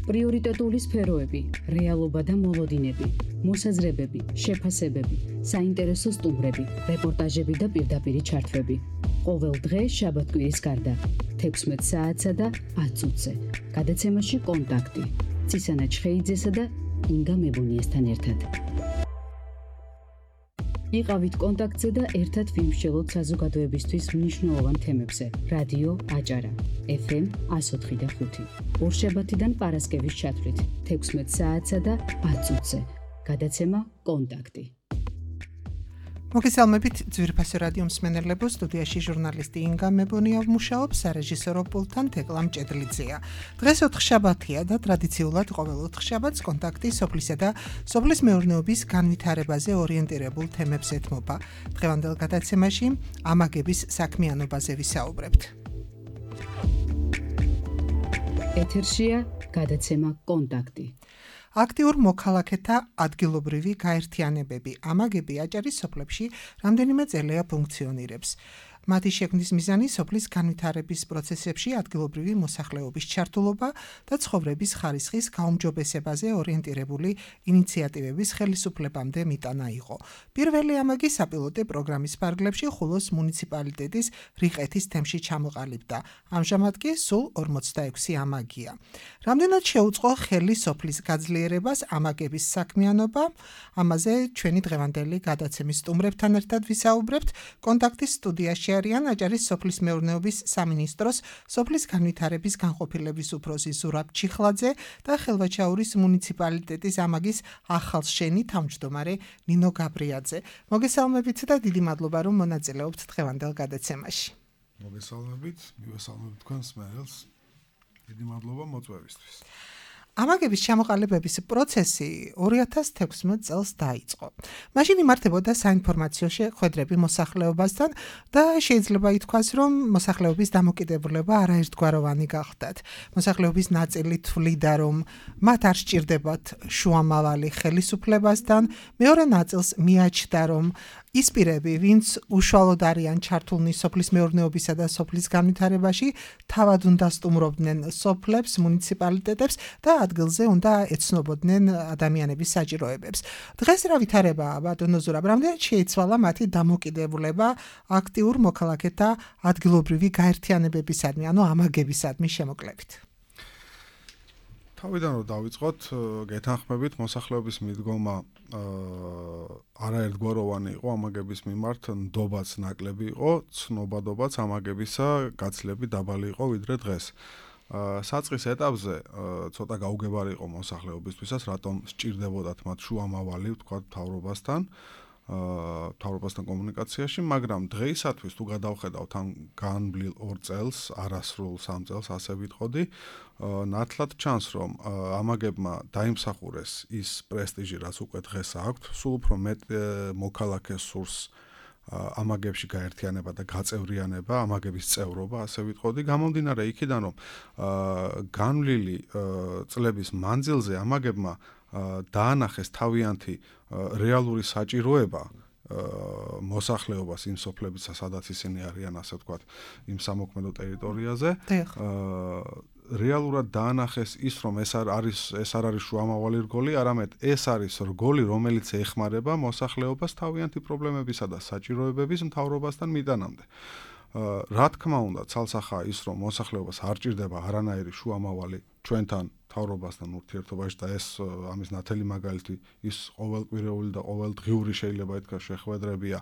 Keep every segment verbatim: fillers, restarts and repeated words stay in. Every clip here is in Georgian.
პრიორიტეტული სფეროები, რეალობა და მოლოდინები, მოსაზრებები, შეფასებები, საინტერესო სტუმრები, რეპორტაჟები და პირდაპირი ჩართვები. ყოველ დღე შაბათ-კვირის გარდა, თექვსმეტ საათსა და ათ წუთზე. გადაცემაში კონტაქტი. ცისანა ჩხეიძესა და ინგა მებუნიესთან ერთად. იყავით კონტაქტზე და ერთად ვიმსჯელოთ საზოგადოებისთვის მნიშვნელოვან თემებზე. რადიო აჭარა, ეფ ემ εκατო ოთხი და ხუთი. ორშაბათიდან პარასკევის ჩათვლით, თექვსმეტ საათსა და ათ წუთზე. გადაცემა კონტაქტი. მოგესალმებით ძვირფასო რადიო მსმენელებო, სტუდიაში ჟურნალისტი ინგა მებონია მუშაობს, სარეჟისორო პულტთან თეკლა მჭედლიძეა. დღეს ოთხშაბათია და ტრადიციულად ყოველ ოთხშაბათს კონტაქტი სოფლისა და სოფლის მეურნეობის განვითარებაზე ორიენტირებულ თემებს ეთმობა. დღევანდელ გადაცემაში ამაგების საქმიანობაზე ვისაუბრებთ. ეთერშია გადაცემა კონტაქტი. აქტიურ მოქალაქეთა ადგილობრივი გაერთიანებები ამაგები აჭარის სოფლებში რამდენიმე წელია ფუნქციონირებს. მათი შექმნის მიზანი სოფლის განვითარების პროცესებში ადგილობრივი მოსახლეობის ჩართულობა და ცხოვრების ხარისხის გაუმჯობესებაზე ორიენტირებული ინიციატივების ხელისუფლებამდე მიტანა იყო. პირველი ამაგი საპილოტე პროგრამის ფარგლებში ხულოს მუნიციპალიტეტის რიყეთის თემში ჩამოყალიბდა. ამჟამად კი სულ ორმოცდაექვსი ამაგია. რამდენად შეუწყო ხელი სოფლის გაძლიერებას ამაგების საქმიანობა? ამაზე ჩვენი დღევანდელი გადაცემის სტუმრებთან ერთად ვისაუბრებთ. კონტაქტის სტუდიაში არიან აჭარის სოფლის მეურნეობის სამინისტროს სოფლის განვითარების განყოფილების უფროსი ზურაბ ჩიხლაძე და ხელვაჩაურის მუნიციპალიტეტის ამაგის ახალშენი თავმჯდომარე ნინო გაბრიაძე. მოგესალმებით და დიდი მადლობა რომ მონაწილეობთ დღევანდელ გადაცემაში. მოგესალმებით, მივესალმებით თქვენს მსმენელს. დიდი მადლობა მოწვევისთვის. ამაგების ჩამოყალიბების პროცესი ორი ათას თექვსმეტ წელს დაიწყო. მაშინ იმართებოდა საინფორმაციო შეხვედრები მოსახლეობასთან და შეიძლება ითქვას, რომ მოსახლეობის დამოკიდებულება არაერთგვაროვანი გახდათ. მოსახლეობის ნაწილი თვლიდა, რომ მათ არ სჭირდებათ შუამავალი ხელისუფლებასთან, მეორე ნაწილს მიაჩნდა, რომ ის პირები, ვინც უშუალოდ არიან ჩართულნი სოფლის მეურნეობისა და სოფლის განვითარებაში, თავად უნდა სტუმრობდნენ სოფლებს, მუნიციპალიტეტებს და ადგილზე უნდა ეცნობოდნენ ადამიანების საჭიროებებს. დღეს რა ვითარებაა, ბატონო ზურაბ, რამდენად შეიცვალა მათი დამოკიდებულება აქტიურ მოქალაქეთა ადგილობრივი გაერთიანებებისადმი, ანუ ამაგებისადმი შემოკლებით? თავიდან რომ დავიწყოთ, გეთანხმებით, მოსახლეობის მიდგომა არაერთგვაროვანი იყო ამაგების მიმართ, ნდობაც ნაკლები იყო, ცნობადობაც ამაგებისა გაცილებით დაბალი იყო ვიდრე დღეს. საწყის ეტაპზე ცოტა გაუგებარი იყო მოსახლეობისთვისაც, რატომ სჭირდებოდათ მათ შუამავალი, ვთქვათ, მთავრობასთან, მთავრობასთან კომუნიკაციაში, მაგრამ დღეისათვის თუ გადავხედავთ ამ განვლილ ორ წელს, არასრულ სამ წელს, ასე ვიტყოდი, ნათლად ჩანს, რომ ამაგებმა დაიმსახურეს ის პრესტიჟი, რაც უკვე დღეს აქვთ, სულ უფრო მეტ მოქალაქეს სურს ამაგებში გაერთიანება და გაწევრიანება, ამაგების წევრობა, ასე ვიტყოდი, გამომდინარე იქიდან, რომ განვლილი წლების მანძილზე ამაგებმა დაანახეს თავიანთი რეალური საჭიროება მოსახლეობას იმ სოფლებისა, სადაც ისინი არიან, ასე ვთქვათ, იმ სამოქმედო ტერიტორიაზე. რეალურად დაანახეს ის, რომ ეს არ არის ეს არ არის შუამავალი რგოლი, არამედ ეს არის რგოლი, რომელიც ეხმარება მოსახლეობას თავიანთი პრობლემებისა და საჭიროებების მთავრობასთან მიტანამდე. რა თქმა უნდა, ცალსახაა ის, რომ მოსახლეობას არ ჭირდება არანაირი შუამავალი ჩვენთან მთავრობასთან ურთიერთობაში და ეს ამის ნათელი მაგალითი ის ყოველკვირეული და ყოველდღიური შეიძლება ითქვას შეხვედრებია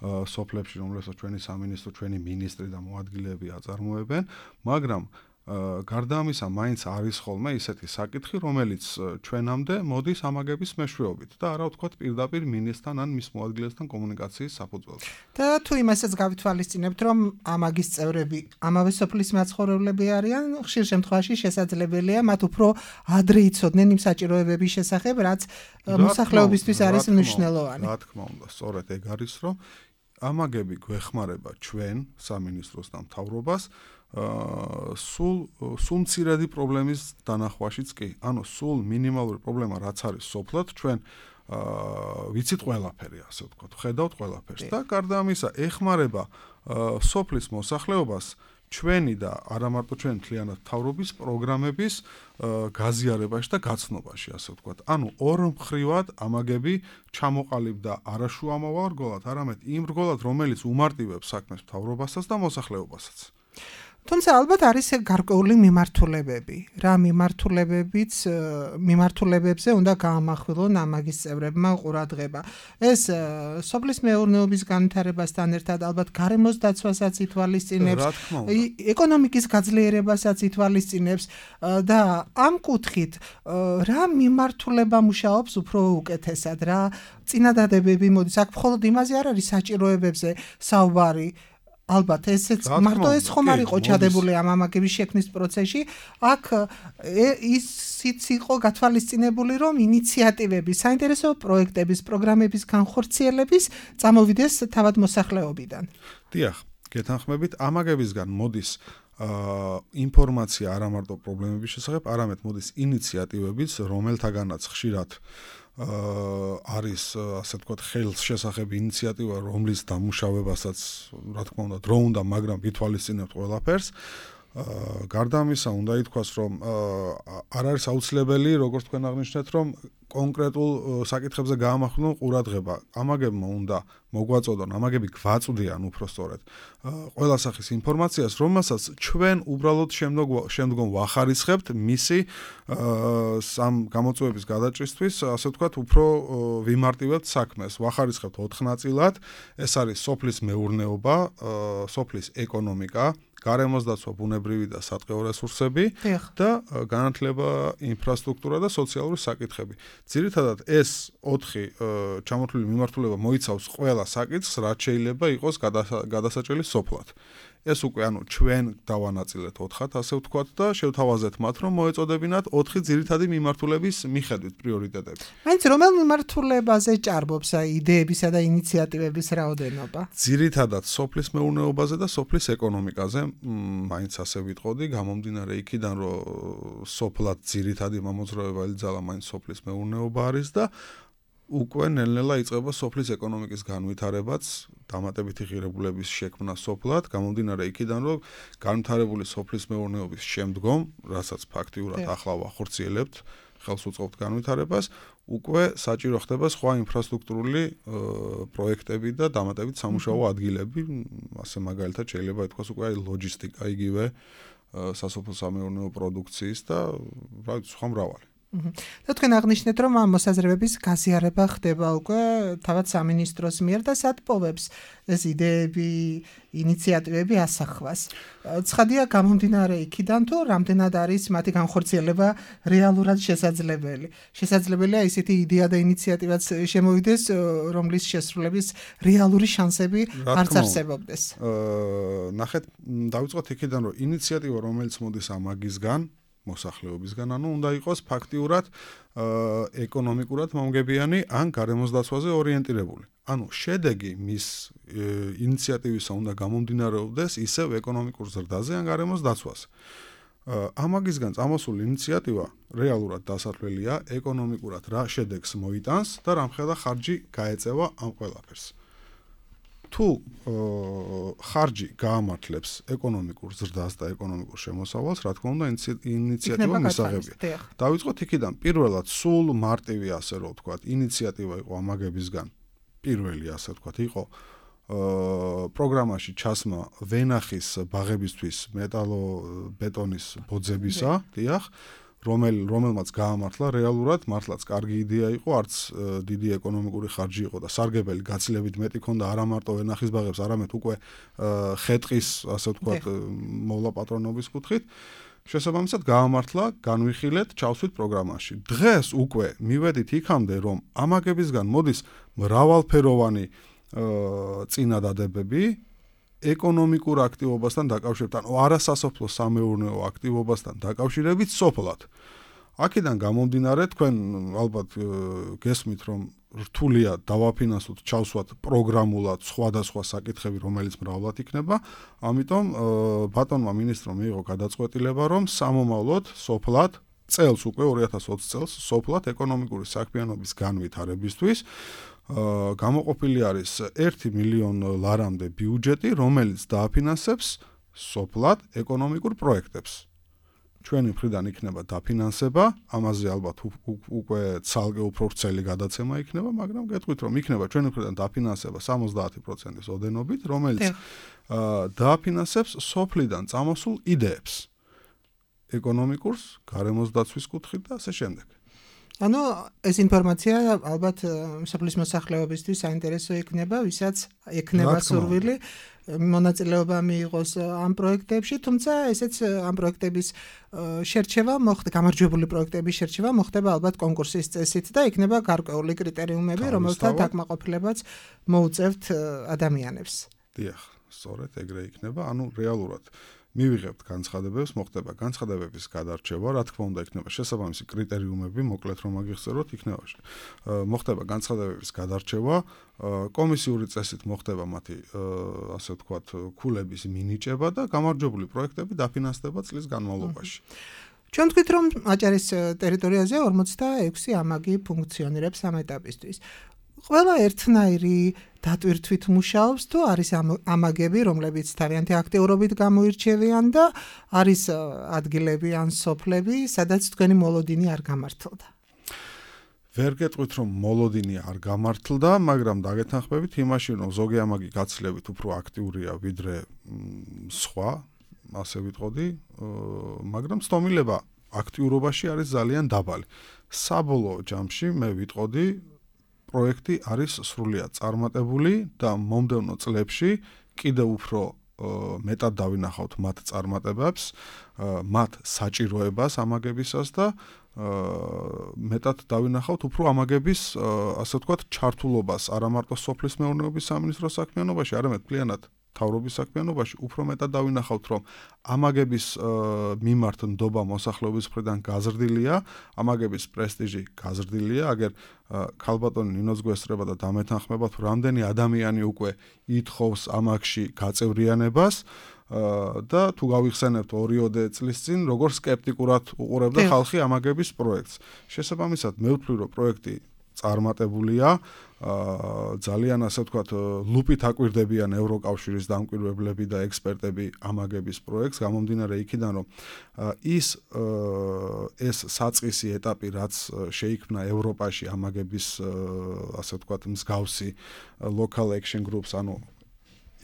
სოფლებში, რომელსაც ჩვენი სამინისტრო, ჩვენი მინისტრი და მოადგილეები აწარმოებენ, მაგრამ გარდა ამისა, მაინც არის ხოლმე ისეთი საკითხი, რომელიც ჩვენამდე მოდის ამაგების მეშვეობით და არა ვთქვათ პირდაპირ მინისტრთან ან მის მოადგილესთან კომუნიკაციის საფუძველზე. და თუ იმასაც გავითვალისწინებთ, რომ ამაგის წევრები ამავე სოფლის მაცხოვრებლები არიან, ხშირ შემთხვევაში შესაძლებელია მათ უფრო ადრე იცოდნენ იმ საჭიროებების შესახებ, რაც მოსახლეობისთვის არის მნიშვნელოვანი. რა თქმა უნდა, სწორედ ეგ არის, რომ ამაგები გვეხმარება ჩვენ სამინისტროს და მთავრობას სულ სულ მცირედი პრობლემის დანახვაშიც კი. ანუ სულ მინიმალური პრობლემა რაც არის სოფლად, ჩვენ ვიცით ყველაფერი, ასე ვთქვათ, ხედავთ ყველაფერს და გარდა ამისა ეხმარება სოფლის მოსახლეობას ჩვენი და არა მარტო ჩვენი მთლიანად მთავრობის პროგრამების გაზიარებაში და გაცნობაში, ასე ვთქვათ. ანუ ორ მხრივად ამაგები ჩამოყალიბდა არა შუამოვარგულად, არამედ იმ რგოლად, რომელიც უმარტივებს საქმეს მთავრობასაც და მოსახლეობასაც. თუმცა ალბათ არის გარკვეული მიმართულებები. რა მიმართულებებიც მიმართულებებზე უნდა გაამახვილონ ამაგის წევრებმა ყურადღება. ეს სოფლის მეურნეობის განვითარებასთან ერთად ალბათ გარემოს დაცვასაც ითვალისწინებს, ეკონომიკის გაძლიერებასაც ითვალისწინებს და ამ კუთხით რა მიმართულება მუშაობს უფრო უკეთესად, რა წინადადებები მოდის. აქ მხოლოდ იმაზე არ არის საჭიროებებზე საუბარი. ალბათ ესეც მარტო ეს ხომ არ იყო ჩადებული ამ ამაგების შექმნის პროცესში, აქ ისიც იყო გათვალისწინებული, რომ ინიციატივები, საინტერესო პროექტების, პროგრამების განხორციელების წამოვიდეს თავად მოსახლეობიდან. დიახ, გეთანხმებით, ამაგებისგან მოდის ინფორმაცია არა მარტო პრობლემების შესახებ, არამედ მოდის ინიციატივებიც, რომელთაგანაც ხშირად არის ასე ვთქვათ ხელს შესახები ინიციატივა, რომლის დამუშავებასაც რა თქმა უნდა დრო უნდა, მაგრამ ვითვალისწინებთ ყველაფერს. გარდა ამისა, უნდა ითქვას, რომ არ არის აუცილებელი, როგორც თქვენ აღნიშნეთ, რომ კონკრეტულ საკითხებზე გაამახვილონ ყურადღება. ამაგებმა უნდა მოგვაწოდონ, ამაგები გვაწვდიან უბრალოდ ყველა სახის ინფორმაციას, რომელსაც ჩვენ უბრალოდ შემდგომ ვახარისხებთ მისი სამ გამოწვევების გადაჭრისთვის, ასე ვთქვათ, უფრო ვიმარტივებთ საქმეს. ვახარისხებთ ოთხ ნაწილად. ეს არის სოფლის მეურნეობა, სოფლის ეკონომიკა, გარემოს დაცვა, ბუნებრივი და სატყეო რესურსები და განათლება, ინფრასტრუქტურა და სოციალური საკითხები. ძირითადად ეს ოთხი ჩამოთვლილი მიმართულება მოიცავს ყველა საკითხს, რაც შეიძლება იყოს გადასაჭრელი სოფლად. ეს უკვე ანუ ჩვენ დავანაწილეთ ოთხად, ასე ვთქვათ და შევთავაზეთ მათ, რომ მოეწოდებინათ ოთხი ძირითადი მიმართულების მიხედვით პრიორიტეტები. მაინც რომელ მიმართულებაზე ჭარბობს იდეებისა და ინიციატივების რაოდენობა? ძირითადად სოფლის მეურნეობაზე და სოფლის ეკონომიკაზე, მაინც ასე ვიტყოდი, გამომდინარე იქიდან, რომ სოფლად ძირითადი მამოძრავება ელძალა მაინც სოფლის მეურნეობა არის და უკვე ნელ-ნელა იწყება სოფლის ეკონომიკის განვითარებაც, დამატებითი ღირებულების შექმნა სოფლად, გამომდინარე იქიდან, რომ განვითარებული სოფლის მეურნეობის შემდგომ, რასაც ფაქტიურად ახლა ვახორციელებთ, ხელს უწყობთ განვითარებას, უკვე საჭირო ხდება სხვა ინფრასტრუქტურული პროექტები და დამატებით სამუშაო ადგილები, ასე მაგალითად შეიძლება ითქვას უკვე ლოჯისტიკა იგივე სასოფლო-სამეურნეო პროდუქციის და რა ვიცი, სხვა მრავალი. და თქვენ აღნიშნეთ, რომ ამ მოსაზრებების გაზიარება ხდება უკვე თავად სამინისტროს მიერ და სათბობებს ეს იდეები, ინიციატივები ასახვას. ცხადია, გამომდინარე იქიდან, თუ რამდენად არის მათი განხორციელება რეალურად შესაძლებელი. შესაძლებელია ისეთი იდეა და ინიციატივაც შემოვიდეს, რომლის შესრულების რეალური შანსები არც არსებობდეს. ნახეთ, დავიწყოთ იქიდან, რომ ინიციატივა, რომელიც მოდის ამაგისგან, მოსახლეობისგან, ანუ უნდა იყოს ფაქტიურად ეკონომიკურად მომგებიანი ან გარემოს დაცვაზე ორიენტირებული. ანუ შედეგი მის ინიციატივისა უნდა გამომდინარეობდეს ისევ ეკონომიკურ ზრდაზე ან გარემოს დაცვაზე. ამაგისგან წამოსული ინიციატივა რეალურად დასათვლელია ეკონომიკურად რა შედეგს მოიტანს და რამხელა ხარჯი გაეწევა ამ ყველაფერს. თუ ხარჯი გაამართლებს ეკონომიკურ ზრდას და ეკონომიკურ შემოსავალს, რა თქმა უნდა, ინიციატივა მისაღებია. დავიწყოთ იქიდან, პირველად სულ მარტივი, ასე რომ ვთქვათ, ინიციატივა იყო ამაგებისგან. პირველი, ასე ვთქვათ, იყო პროგრამაში ჩასმა ვენახის ბაღებისთვის მეტალო-ბეტონის ბოძებისა, დიახ, რომელ რომელმაც გაამართლა რეალურად, მართლაც კარგი იდეა იყო, არც დიდი ეკონომიკური ხარჯი იყო და სარგებელი გაცილებით მეტი ქონდა არა მარტო ვენახის ბაღებს, არამედ უკვე ხეტყის, ასე ვთქვათ, მოვლა პატრონობის კუთხით. შესაბამისად გაამართლა, განვიხილეთ, ჩავსვით პროგრამაში. დღეს უკვე მივედით იქამდე, რომ ამაგებისგან მოდის მრავალფეროვანი წინადადებები ეკონომიკურ აქტივობასთან დაკავშირებით, ანუ არასასოფლო სამეურნეო აქტივობასთან დაკავშირებით სოფლად. აქედან გამომდინარე, თქვენ ალბათ გესმით, რომ რთულია დავაფინანსოთ, ჩავსვათ პროგრამულად სხვადასხვა საკითხები, რომელიც მრავლად იქნება, ამიტომ ბატონმა მინისტრმა მიიღო გადაწყვეტილება, რომ სამომავლოდ სოფლად წელს უკვე ორი ათას ოცი წელს სოფლად ეკონომიკური საქმიანობის განვითარებისთვის გამოყოფილი არის ერთი მილიონი ლარამდე ბიუჯეტი, რომელიც დააფინანსებს სოფლად ეკონომიკურ პროექტებს. ჩვენი მხრიდან იქნება დაფინანსება, ამაზე ალბათ უკვე ცალკე უფრო ვრცელი გადაცემა იქნება, მაგრამ გეტყვით რომ იქნება ჩვენი მხრიდან დაფინანსება სამოცდაათი პროცენტის ოდენობით, რომელიც დააფინანსებს სოფლიდან წამოსულ იდეებს. ეკონომიკურს, გარემოს დაცვის კუთხით და ასე შემდეგ. ანუ ეს ინფორმაცია ალბათ სოფლის მოსახლეობისთვის საინტერესო იქნება, ვისაც ექნება სურვილი მონაწილეობა მიიღოს ამ პროექტებში, თუმცა ესეც ამ პროექტების შერჩევა მოხდება, გამარჯვებული პროექტების შერჩევა მოხდება ალბათ კონკურსის წესით და იქნება გარკვეული კრიტერიუმები, რომელთა დაკმაყოფილებაც მოუწევთ ადამიანებს. დიახ, სწორედ ეგრე იქნება, ანუ რეალურად მივიღებთ განცხადებებს, მოხდება განცხადებების გადარჩევა, რა თქმა უნდა, იქნება შესაბამისი კრიტერიუმები, მოკლედ რომ აგიხსენოთ, იქნება მოხდება განცხადებების გადარჩევა, კომისიური წესით მოხდება მათი, ასე ვთქვათ, ქულების მინიჭება და გამარჯვებული პროექტები დაფინანსდება წლის განმავლობაში. ჩვენ თქვით, რომ აჭარის ტერიტორიაზე ორმოცდაექვსი ამაგი ფუნქციონირებს ამ ეტაპისთვის. ყველა ერთნაირი დატვირთვით მუშაობს თუ არის ამაგები, რომლებიც თავიანთი აქტიურობით გამოირჩევიან და არის ადგილები ან სოფლები, სადაც თქვენი მოლოდინი არ გამართლდა. ვერ გეტყვით რომ მოლოდინი არ გამართლდა, მაგრამ დაგეთანხმებით იმაში, რომ ზოგი ამაგი გაცილებით უფრო აქტიურია ვიდრე სხვა, ასე ვიტყოდი, მაგრამ სტომილება აქტიურობაში არის ძალიან დაბალი. საბოლოო ჯამში მე ვიტყოდი პროექტი არის სრულიად წარმატებული და მომდევნო წლებში კიდევ უფრო მეტად დავინახავთ მათ წარმატებებს, მათ საჭიროებას ამაგებისას და მეტად დავინახავთ უფრო ამაგების, ასე ვთქვათ, ჩართულობას არა მარტო სოფლის მეურნეობის სამინისტროს საქმიანობაში, არამედ მთლიანად მთავრობის საქმიანობაში, უფრო მეტად დავინახავთ, რომ ამაგების მიმართ ნდობა მოსახლეობის მხრიდან გაზრდილია, ამაგების პრესტიჟი გაზრდილია, აგერ ქალბატონი ნინოც გვესწრება და დამეთანხმებათ, რამდენი ადამიანი უკვე ითხოვს ამაგში გაწევრიანებას და თუ გავიხსენებთ ორიოდე წლის წინ, როგორ სკეპტიკურად უყურებდა ხალხი ამაგების პროექტს. შესაბამისად, მე ვთვლი, რომ პროექტი წარმატებულია, ძალიან ასე ვთქვათ, ლუპით აკვირდებიან ევროკავშირის დამკვირვებლები და ექსპერტები ამაგების პროექტს, გამომდინარე იქიდან, რომ ის ეს საწყისი ეტაპი, რაც შეიქმნა ევროპაში ამაგების, ასე ვთქვათ, მსგავსი local action groups, ანუ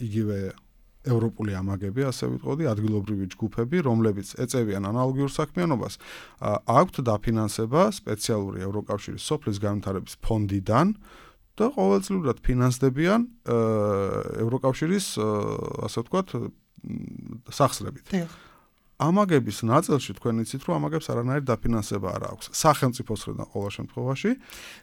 იგივე ევროპული ამაგები, ასე ვიტყოდი, ადგილობრივი ჯგუფები, რომლებიც ეწევიან ანალოგიურ საქმიანობას, აქვთ დაფინანსება სპეციალური ევროკავშირის სოფლის განვითარების ფონდიდან და ყოველწლიურად ფინანსდებიან ევროკავშირის, ასე ვთქვათ, სახსრებით. ამაგების ნაწილში თქვენ იცით, რომ ამაგებს არანაირი დაფინანსება არ აქვს. სახელმწიფოს მხრიდან ყოველ შემთხვევაში.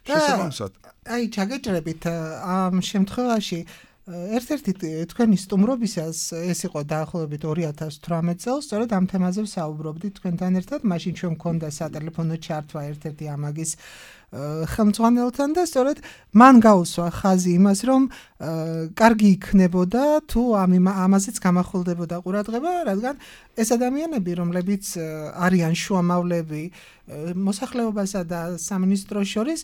შესაბამისად, აი, ჩაგეჭრებით ამ შემთხვევაში ერთ-ერთი თქვენი სტუმრობისას ეს იყო დაახლოებით ორი ათას თვრამეტ წელს, სწორედ ამ თემაზე ვსაუბრობდით თქვენთან ერთად, მაშინ ჩვენ მქონდა სატელეფონო ჩართვა ერთ-ერთი ამაგის ხელმძღვანელთან და სწორედ მან გაუსვა ხაზი იმას, რომ კარგი იქნებოდა თუ ამაზეც გამახვილდებოდა ყურადღება, რადგან ეს ადამიანები, რომლებიც არიან შუამავლები მოსახლეობასა და სამინისტროს შორის,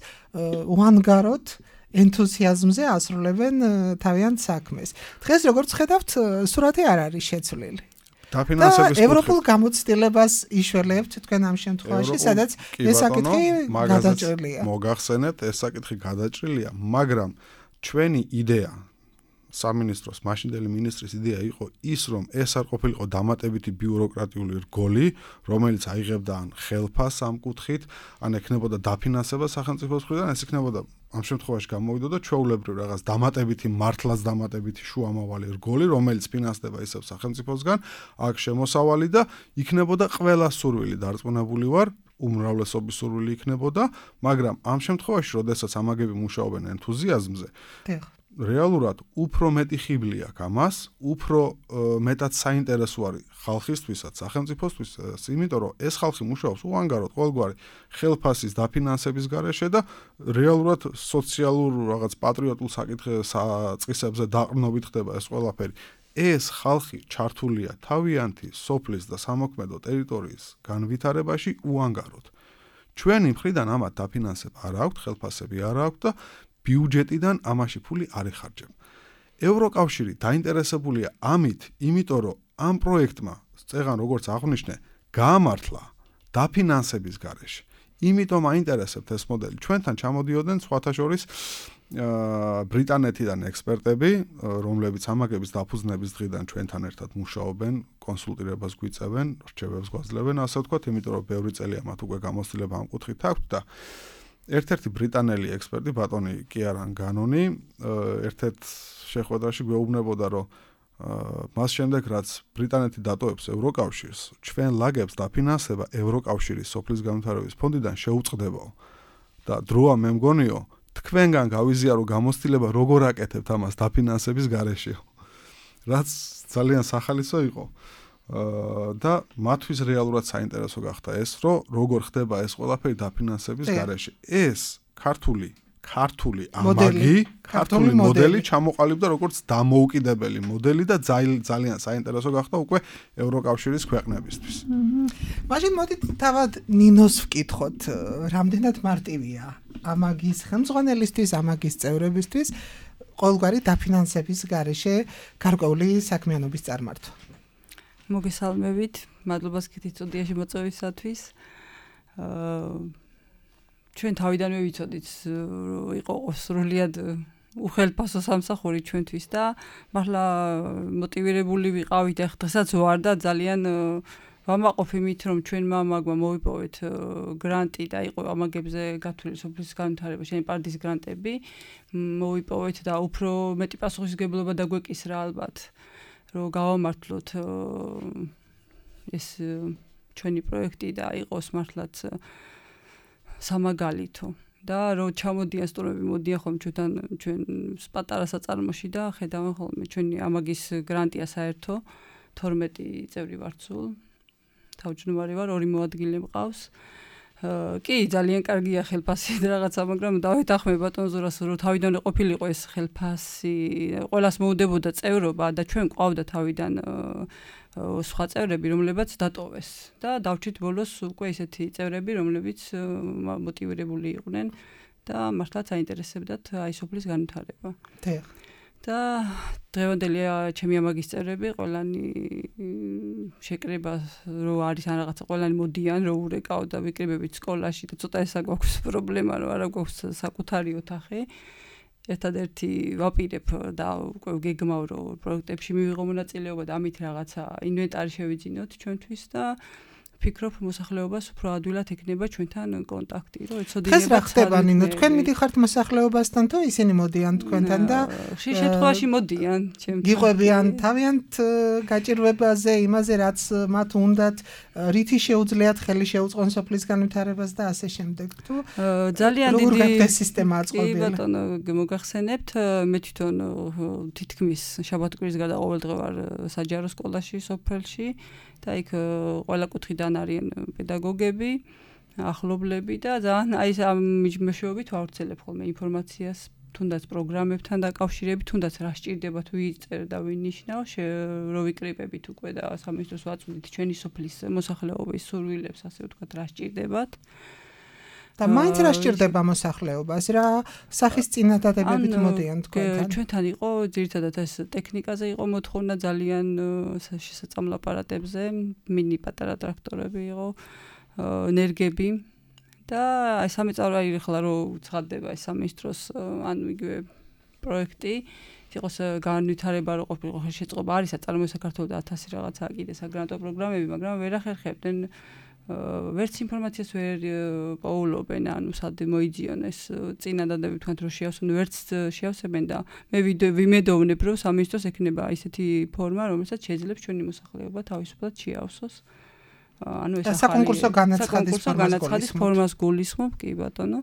უანგაროდ ენთუზიაზმზე ასრულებენ თავიანთ საქმეს. დღეს როგორც ხედავთ, სურათი არ არის შეცვლილი. დაფინანსების კუთხით ევროპულ გამოცდილებას იშველებთ თქვენ ამ შემთხვევაში, სადაც ეს საკითხი გადაჭრილია. მოგახსენეთ, ეს საკითხი გადაჭრილია, მაგრამ ჩვენი იდეა სამინისტროს მაშინდელი მინისტრის იდეა იყო ის, რომ ეს არ ყოფილიყო დამატებითი ბიუროკრატიული რგოლი, რომელიც აიღებდა ან ხელფას ამ კუთხით, ან ექნებოდა დაფინანსება სახელმწიფოს მხრიდან, ეს იქნებოდა ამ შემთხვევაში გამოვიდოდა ჩვეულებრივ რაღაც დამატებითი მართლაც დამატებითი შუამავალი რგოლი, რომელიც ფინანსდება ისევ სახელმწიფოსგან, აქ შემოსავალი და იქნებოდა ყველა სურვილი დარწმუნებული ვარ, უმრავლესობის სურვილი იქნებოდა, მაგრამ ამ შემთხვევაში, როდესაც ამაგები მუშაობენ ენთუზიაზმზე, რეალურად უფრო მეტი ხიბლი აქვს ამას, უფრო მეტად საინტერესო არის ხალხისთვისაც, სახელმწიფოსთვისაც, იმიტომ რომ ეს ხალხი მუშაობს უანგაროდ ყოველგვარი ხელფასის დაფინანსების გარეშე და რეალურად სოციალურ რაღაც პატრიოტულ საკითხებზე დაყრდნობით ხდება ეს ყველაფერი. ეს ხალხი ჩართულია თავიანთი სოფლის და სამოქმედო ტერიტორიის განვითარებაში უანგაროდ. ჩვენი მხრიდან ამათ დაფინანსება არ აქვს, ხელფასები არ აქვს და ბიუჯეტიდან ამაში ფული არ იხარჯება. ევროკავშირი დაინტერესებულია ამით, იმიტომ რომ ამ პროექტმა წეღან როგორც აღვნიშნე, გაამართლა დაფინანსების გარეშე. იმიტომ აინტერესებთ ეს მოდელი. ჩვენთან ჩამოდიოდნენ სხვათა შორის ბრიტანეთიდან ექსპერტები, რომლებიც ამაგების დაფუძნების დღიდან ჩვენთან ერთად მუშაობენ, კონსულტირებას გვიწევენ, რჩევებს გვაძლევენ, ასე ვთქვათ, იმიტომ რომ ბევრი წელია მათ უკვე გამოცდილება ამ კუთხით აქვთ და ერთ-ერთი ბრიტანელი ექსპერტი ბატონი კიარან განონი ერთ-ერთ შეხვედრაში გვეუბნებოდა, რომ მას შემდეგ რაც ბრიტანეთი დატოვებს ევროკავშირს, ჩვენ ლაგებს დაფინანსება ევროკავშირის სოფლის განვითარების ფონდიდან შეუწყდებაო. და დროა მე მგონიო, თქვენგან გავიზიარო გამოცდილება როგორ აკეთებთ ამას დაფინანსების გარეშე. რაც ძალიან სახალისო იყო. და მათთვის რეალურად საინტერესო გახდა ეს, რომ როგორ ხდება ეს ყველაფერი დაფინანსების გარეშე. ეს ქართული ქართული ამაგი, ქართული მოდელი ჩამოყალიბდა როგორც დამოუკიდებელი მოდელი და ძალიან საინტერესო გახდა უკვე ევროკავშირის ქვეყნებისთვის. მაშინ მოდით თავად ნინოს ვკითხოთ, რამდენად მარტივია ამაგის ხელმძღვანელისთვის, ამაგის წევრებისთვის ყოველგვარი დაფინანსების გარეშე გარკვეული საქმიანობის წარმართვა. მოგესალმებით, მადლობას გითხრით სტუდიაში მოწვევისათვის. ჩვენ თავიდანვე ვიცოდით, რომ იყო სრულიად უხელფასო სამსახური ჩვენთვის და მართლა მოტივირებული ვიყავით, ახ დღესაც ვარ და ძალიან ვამაყობ იმით, რომ ჩვენმა ამაგმა მოვიპოვეთ გრანტი და იყო ამაგებზე გათვლილი სოფლის განვითარება, შენი პარტიის გრანტები, მოვიპოვეთ და უფრო მეტი პასუხისმგებლობა დაგვეკისრა ალბათ, რომ გავამართლოთ ეს ჩვენი პროექტი და იყოს მართლაც სამაგალითო და რომ ჩამოდიან სტუმრები, მოდიან ხოლმე ჩვენთან ჩვენ პატარა საწარმოში და ხედავენ ხოლმე ჩვენი ამაგის გრანტია საერთო თორმეტი წევრი ვართ სულ. თავმჯდომარე ვარ, ორი მოადგილე მყავს. კი, ძალიან კარგია ხელფასი და რაღაცა, მაგრამ დავეთანხმე ბატონ ზურას, რომ თავიდანვე ყოფილიყო ეს ხელფასი, ყველას მოუდებოდა წევრობა და ჩვენ ყავდა თავიდან სხვა წევრები, რომლებიც დატოვეს და დავჭით ბოლოს უკვე ესეთი წევრები, რომლებიც მოტივირებული იყვნენ და მართლაც აინტერესებდათ აი სოფლის განვითარება. და დღევანდელი ჩემი ამაგის წევრები ყველანი შეკრება რო არის ან რაღაცა ყველანი მოდიან რო ურეკავ და ვიკრიბებით სკოლაში და ცოტა ესა გვაქვს პრობლემა რომ არა გვაქვს საკუთარი ოთახი. ერთადერთი ვაპირებ და უკვე გეგმავ რომ პროექტებში მივიღო მონაწილეობა და ამით რაღაცა ინვენტარი შევიძინოთ ჩვენთვის და ფიქრობ მოსახლეობას უფრო ადვილად ექნება ჩვენთან კონტაქტი, რომ ეცოდინება. ეს რა ხდება ნინო, თქვენ მიდიხართ მოსახლეობასთან თუ ისინი მოდიან თქვენთან და ხშირ შემთხვევაში მოდიან ჩემთან. გიყვებიან თავიანთ გაჭირვებაზე, იმაზე რაც მათ უნდათ, რითი შეუძლიათ ხელი შეუწყონ სოფლის განვითარებას და ასე შემდეგ. თუ ძალიან დიდი როგორ გაქვთ ეს სისტემა აწყობილი? კი ბატონო, მოგახსენებთ, მე თვითონ თითქმის შაბათ-კვირის გარდა ყოველ დღე ვარ საჯარო სკოლაში სოფელში. და იქ ყველა კუთხიდან არიან პედაგოგები, ახლობლები და ძალიან აი ამ მიჯმეშობით ვავრცელებ ხოლმე ინფორმაციას, თუნდაც პროგრამებთან დაკავშირებით, თუნდაც რა სჭირდება თუ იწერა და ვინიშნავ, რო ვიკრიბებით უკვე და სამინისტროს ვაწვდით ჩვენი სოფლის მოსახლეობის სურვილებს, ასე ვთქვათ, რა სჭირდებათ. და მაინც რა სჭირდება მოსახლეობას, რა სახის წინადადებებით მოდიან თქვენთან? ჩვენთან იყო ძირითადად ეს ტექნიკაზე იყო მოთხოვნა ძალიან შესაძლო აპარატებზე, მინი პატარა ტრაქტორები იყო, ენერგები და აი სამეწარო აი ხლა რო ცხადდება ეს სამინისტროს ანუ იგივე პროექტი იყოს განვითარება რო ყოფილიყო ხელშეწყობა არის საწარმოო საქართველოს და ათასი რაღაცა კიდე საგრანტო პროგრამები, მაგრამ ვერ ახერხებდნენ ვერც ინფორმაციას ვერ პოულობენ, ანუ სად მოიძიონ ეს წინადადები თქვენ რომ შეავსონ, ვერც შეავსებენ და მე ვიმედოვნებ რომ სამინისტროს ექნება ისეთი ფორმა, რომელსაც შეძლებს ჩვენი მოსახლეობა თავისუფლად შეავსოს. ანუ ეს საკონკურსო განაცხადის ფორმას გულისხმობ, კი ბატონო.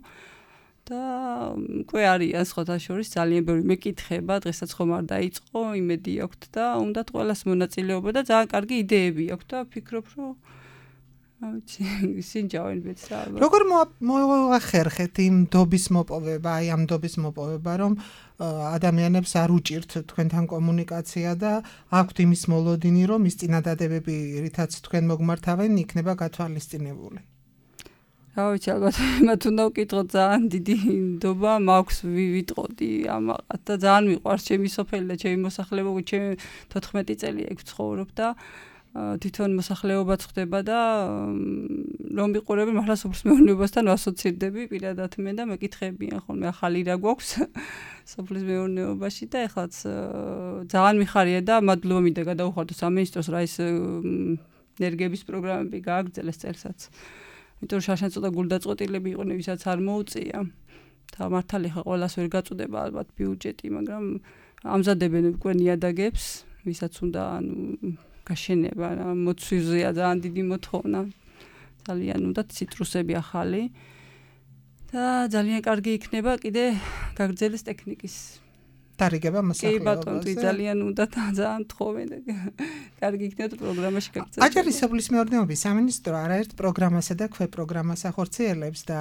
და უკვე არიან სხვათა შორის ძალიან ბევრი მეკითხება, დღესაც ხომ არ დაიწყო, იმედი აქვთ და უნდათ ყველას მონაწილეობა და ძალიან კარგი იდეები აქვთ და ვფიქრობ რომ ავიცი, სინჯავენ ბეცა. როგორ მოახერხეთ იმ დობის მოპოვება, აი ამ დობის მოპოვება, რომ ადამიანებს არ უჭირთ თქვენთან კომუნიკაცია და აქვთ იმის მოლოდინი, რომ ის წინადადებები, რითაც თქვენ მოგმართავენ, იქნება გათვალისწინებული? რა ვიცი, ალბათ მათ უნდა ვკითხოთ, ძალიან დიდი ნდობა მაქვს ვიტყოდი ამაყად და ძალიან მიყვარს ჩემი სოფელი და ჩემი მოსახლეობა, ჩემი თოთხმეტი წელი ეგ ვცხოვრობ და თვითონ მოსახლეობაც ხდება და რომ ვიყურები მართლა სოფლის მეურნეობასთან ვასოცირდები პირადად მე და მეკითხებიან ხოლმე ახალი რა გვაქვს სოფლის მეურნეობაში და ეხლაც ძალიან მიხარია და მადლობა მინდა გადავუხადო სამინისტროს რა ის ენერგიების პროგრამები გააგრძელეს წელსაც. იმიტომ რომ შარშან ცოტა გულდაწყვეტილები იყვნენ, ვისაც არ მოუწია. და მართალი ხა ყველას ვერ გაწუდება ალბათ ბიუჯეტი, მაგრამ ამზადებენ უკვე ნიადაგებს, ვისაც უნდა ანუ გაშენება, მოცვიზეა ძალიან დიდი მოთხოვნა. ძალიან უნდა ციტრუსები ახალი. და ძალიან კარგი იქნება კიდე გაგრძელეს ტექნიკის დარიგება მოსახლეობაზე. კი ბატონო, ძალიან უნდა ძალიან თხოვენ და კარგი იქნება პროგრამაში გაგრძელდეს. აჭარის სოფლის მეურნეობის სამინისტრო არაერთ პროგრამასა და ქვეპროგრამას ახორციელებს და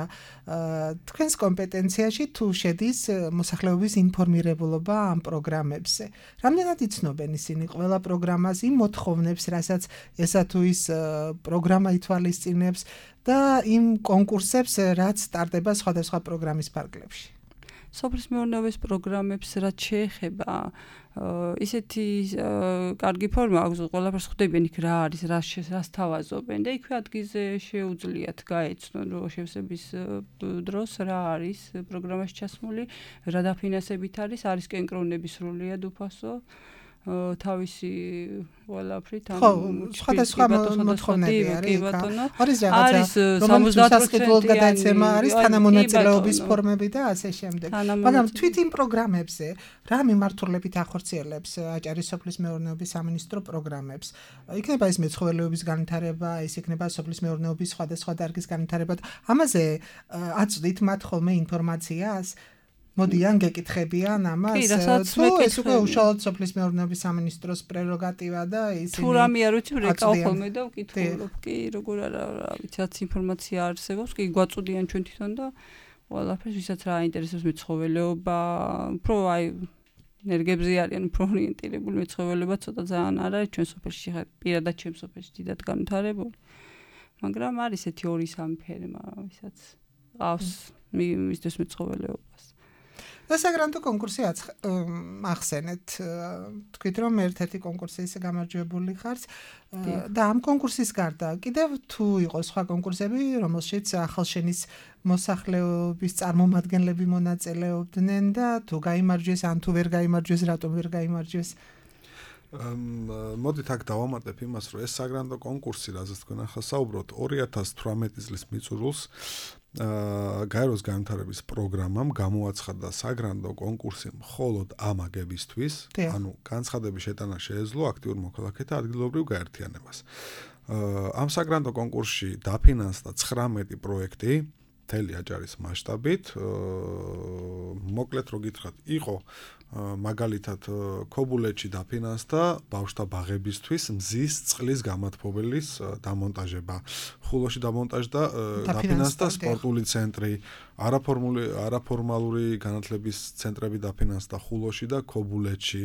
თქვენს კომპეტენციაში თუ შედის მოსახლეობის ინფორმირებულობა ამ პროგრამებზე. რამდენად იცნობენ ისინი ყველა პროგრამას, იმ მოთხოვნებს, რასაც ესა თუ ის პროგრამა ითვალისწინებს და იმ კონკურსებს, რაც სტარტდება სხვადასხვა პროგრამის ფარგლებში. სოფლის მეურნეობის პროგრამებს რაც შეეხება ისეთი კარგი ფორმა აქვს, ყველაფერს ხვდებიან იქ რა არის, რას თავაზობენ და იქვე ადგილზე შეუძლიათ გაეცნონ რომ შევსების დროს რა არის პროგრამაში ჩასმული, რა დაფინანსებით არის, არის კენკრონების სრულიად უფასო თავისი ყველაფრით ანუ სხვადასხვა მოთხოვნები არის არის არის სამოცდაათ პროცენტი გადაცემა არის თანამონაწილეობის ფორმები და ასე შემდეგ მაგრამ თვით იმ პროგრამებზე რა მიმართულებით ახორციელებს აჭარის სოფლის მეურნეობის სამინისტრო პროგრამებს იქნება ეს მეცხოველეობის განვითარება ის იქნება სოფლის მეურნეობის სხვადასხვა დარგის განვითარება ამაზე აწვდით მათ ხოლმე ინფორმაციას მოდიან გეკითხებიან ამას თუ ეს უკვე უშუალოდ სოფლის მეურნეობის სამინისტროს პრეროგატივა და ისინი თუ რამე არ ვიცი რეკავ ხოლმე და ვკითხულობ კი როგორ არა რა ვიცი რაც ინფორმაცია არსებობს კი გვაწუდიან ჩვენ თვითონ და ყველაფერს ვისაც რა აინტერესებს მეცხოველეობა უფრო აი ენერგიებზე არიან უფრო ორიენტირებული მეცხოველეობა ცოტა ძალიან არ არის ჩვენ სოფელში პირადად ჩვენ სოფელში დიდად განვითარებული მაგრამ არის ესეთი ორი სამი ფერმა ვისაც ყავს მისთვის მეცხოველეობას და საგრანტო კონკურსი ახსენეთ თქვით რომ ერთ-ერთი კონკურსის გამარჯვებული ხართ და ამ კონკურსის გარდა კიდევ თუ იყო სხვა კონკურსები რომელშიც ახალშენის მოსახლეობის წარმომადგენლები მონაწილეობდნენ და თუ გაიმარჯვეს ან თუ ვერ გაიმარჯვეს რატომ ვერ გაიმარჯვეს მოდით აქ დავამატებ იმას რომ ეს საგრანტო კონკურსი რაზეც თქვენ ახლა საუბრობთ ორი ათას თვრამეტი წლის მიწურულს გაეროს განვითარების პროგრამამ გამოაცხადა საგრანდო კონკურსი მხოლოდ ამაგებისთვის, ანუ განცხადების შეტანა შეეძლო აქტიურ მოქალაქეთა ადგილობრივ გაერთიანებას. ამ საგრანდო კონკურსში დაფინანსდა ცხრამეტი პროექტი მთელი აჭარის მასშტაბით. მოკლედ რო გითხრათ, იყო მაგალითად ქობულეთში დაფინანსდა ბავშვთა ბაღებისთვის მზის წყლის გამათბობელის დამონტაჟება. ხულოში დამონტაჟდა დაფინანსდა სპორტული ცენტრი, არაფორმული არაფორმალური განათლების ცენტრები დაფინანსდა ხულოში და ქობულეთში.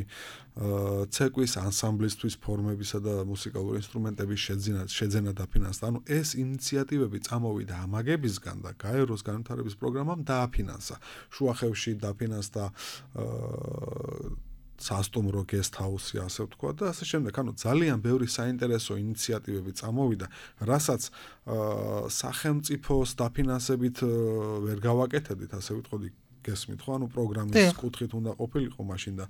ცეკვის ანსამბლისთვის ფორმებისა და მუსიკალური ინსტრუმენტების შეძენა შეძენა დაფინანსდა. ანუ ეს ინიციატივები წამოვიდა ამაგებისგან და გაეროს განვითარების პროგრამამ დააფინანსა. შუახევში დაფინანსდა სასტუმრო guest house-ი ასე ვთქვა და ასე შემდეგ. ანუ ძალიან ბევრი საინტერესო ინიციატივები წამოვიდა, რასაც სახელმწიფოს დაფინანსებით ვერ გავაკეთებდით, ასე ვიტყოდი გესმით ხო? ანუ პროგრამის კუთხით უნდა ყოფილიყო მაშინ და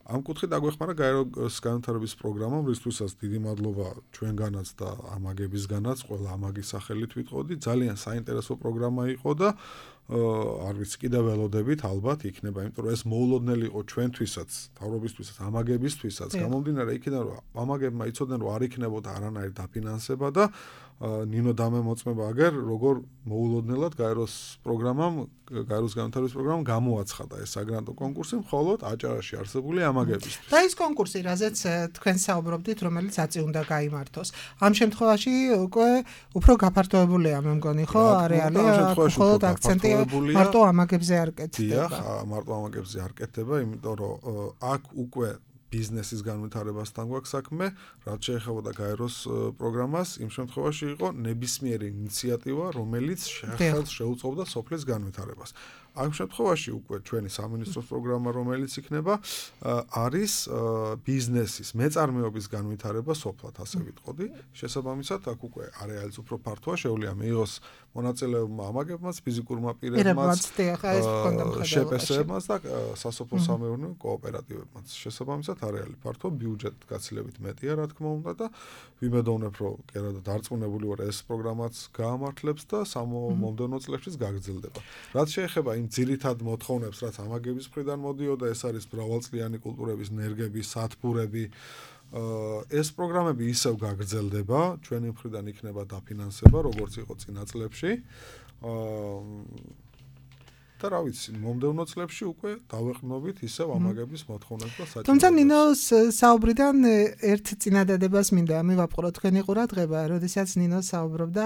ამ კუთხით აგვეხმარა გაეროს განვითარების პროგრამამ, რისთვისაც დიდი მადლობა ჩვენგანაც და ამაგებისგანაც, ყველა ამაგის სახელით ვიტყოდი, ძალიან საინტერესო პროგრამა იყო და არ ვიცი კიდევ ველოდებით ალბათ იქნება, იმიტომ რომ ეს მოულოდნელი იყო ჩვენთვისაც, თავრობისთვისაც, ამაგებისთვისაც, გამომდინარე იქიდან რომ ამაგებმა იცოდნენ რომ არ იქნებოდა არანაირი დაფინანსება და ნინო დამე მოწმება აგერ როგორ მოულოდნელად გაეროს პროგრამამ, გაეროს განვითარების პროგრამამ გამოაცხადა ეს საგრანტო კონკურსი მხოლოდ აჭარაში არსებული ამაგებისთვის. და ის კონკურსი, რაზეც თქვენ საუბრობდით, რომელიც აწი უნდა გაიმართოს. ამ შემთხვევაში უკვე უფრო გაფართოებულია, მე მგონი, ხო, არეალი, მხოლოდ აქცენტი მარტო ამაგებზე არ კეთდება. დიახ, მარტო ამაგებზე არ კეთდება, იმიტომ რომ აქ უკვე ბიზნესის განვითარებასთან გვაქვს საქმე, რაც შეეხებოდა გაეროს პროგრამას, იმ შემთხვევაში იყო ნებისმიერი ინიციატივა, რომელიც ხელს შეუწყობდა სოფლის განვითარებას. ამ შემთხვევაში უკვე ჩვენი სამინისტროს პროგრამა, რომელიც იქნება, არის ბიზნესის, მეწარმეობის განვითარება სოფლად, ასე ვიტყოდი. შესაბამისად, აქ უკვე არეალის უფრო ფართოა, შეუძლია მიიღოს მონაწილეებმა ამაგებმაც, ფიზიკურმა პირებმაც, შეპესებმაც და სასოფლო სამეურნეო კოოპერატივებმაც. შესაბამისად, არეალი ფართო, ბიუჯეტი გაცილებით მეტია, რა თქმა უნდა და ვიმედოვნებ, რომ კერა დარწმუნებული ვარ, ეს პროგრამაც გაამართლებს და მომდევნო წლებშიც გაგრძელდება. რაც შეეხება იმ ძირითად მოთხოვნებს, რაც ამაგების მხრიდან მოდიოდა, ეს არის მრავალწლიანი კულტურების ნერგები, სათბურები. ეს პროგრამები ისევ გაგრძელდება, ჩვენი მხრიდან იქნება დაფინანსება, როგორც იყო წინა წლებში. და რა ვიცი, მომდევნო წლებში უკვე დავეყრდნობით ისევ ამაგების მოთხოვნებს და საჭიროებას. თუმცა ნინოს საუბრიდან ერთ წინადადებას მინდა მივაპყრო თქვენი ყურადღება, როდესაც ნინო საუბრობდა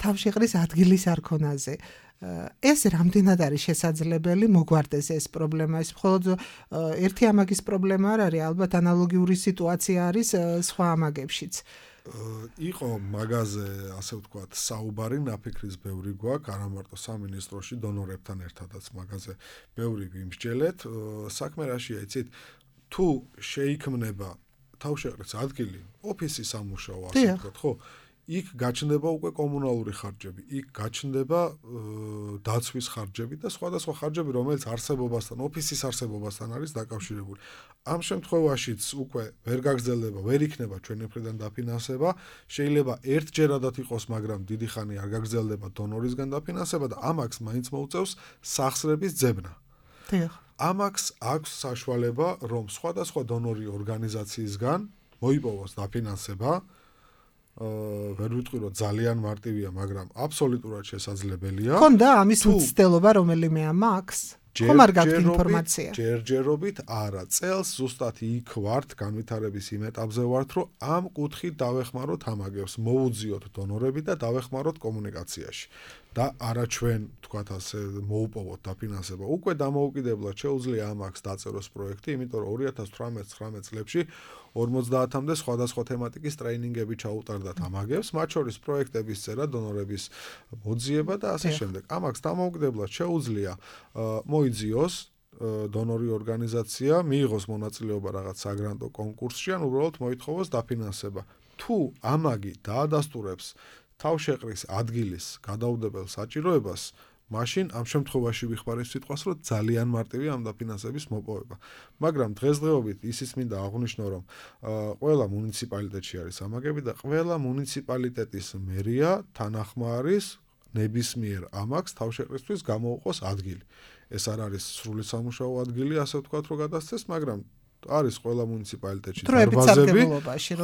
თავშეყრის ადგილის არქონაზე. ეს რამდენად არის შესაძლებელი მოგვარდეს ეს პრობლემა? ეს მხოლოდ ერთი ამაგის პრობლემა არ არის, ალბათ ანალოგიური სიტუაცია არის სხვა ამაგებშიც. იყო მაგაზე, ასე ვთქვათ, საუბარი, ნაფიქრის ბევრი გვაქვს, არა მარტო სამინისტროში, დონორებთან ერთადაც მაგაზე ბევრი ვიმსჯელეთ. საქმე რაშია, იცით, თუ შეიქმნება თავშეყრის ადგილი, ოფისის სამუშაო, ასე ვთქვათ, ხო? იქ გაჩნდება უკვე კომუნალური ხარჯები, იქ გაჩნდება დაცვის ხარჯები და სხვადასხვა ხარჯები, რომელიც არსებობასთან, ოფისის არსებობასთან არის დაკავშირებული. ამ შემთხვევაშიც უკვე ვერ გაგრძელდება, ვერ იქნება ჩვენი მხრიდან დაფინანსება, შეიძლება ერთჯერადად იყოს, მაგრამ დიდი ხანი არ გაგრძელდება დონორისგან დაფინანსება და ამაკს მაინც მოუწევს სახსრების ძებნა. ამაკს აქვს საშუალება, რომ სხვადასხვა დონორი ორგანიზაციისგან მოიპოვოს დაფინანსება. ვერ ვიტყვი რომ ძალიან მარტივია, მაგრამ აბსოლუტურად შესაძლებელია. ხონდა ამის მცდელობა რომელიმე ამაქვს? ხომ არ გაქვთ ინფორმაცია? ჯერჯერობით არა, წელს ზუსტად იქ ვართ, განვითარების იმ ეტაპზე ვართ, რომ ამ კუთხით დავეხმაროთ ამაგებს, მოუძიოთ დონორები და დავეხმაროთ კომუნიკაციაში. და არა ჩვენ, თქვათ ასე, მოუპოვოთ დაფინანსება. უკვე დამოუკიდებლად შეუძლია ამაგს დაწეროს პროექტი, იმიტომ რომ ორი ათას თვრამეტ ცხრამეტ წლებში ორმოცდაათამდე სხვადასხვა თემატიკის ტრეინინგები ჩაუტარდათ ამაგებს, მათ შორის პროექტების წერა, დონორების მოძიება და ასე შემდეგ. ამაგს დამოუკიდებლად შეუძლია მოიძიოს დონორი ორგანიზაცია, მიიღოს მონაწილეობა რაღაც საგრანტო კონკურსში, ან უბრალოდ მოითხოვოს დაფინანსება. თუ ამაგი დაადასტურებს თავშეყრის ადგილის გადაუდებელ საჭიროებას, მაშინ ამ შემთხვევაში ვიხმარებ სიტყვას, რომ ძალიან მარტივია ამ დაფინანსების მოპოვება. მაგრამ დღესდღეობით ისიც მინდა აღვნიშნო, რომ ყველა მუნიციპალიტეტში არის ამაგები და ყველა მუნიციპალიტეტის მერია თანახმარის ნებისმიერ ამაგს თავშეყრისთვის გამოუყოს ადგილი. ეს არ არის სრული სამუშაო ადგილი, ასე ვთქვათ, რომ გადასცეს, მაგრამ არის ყველა მუნიციპალიტეტში დარბაზები,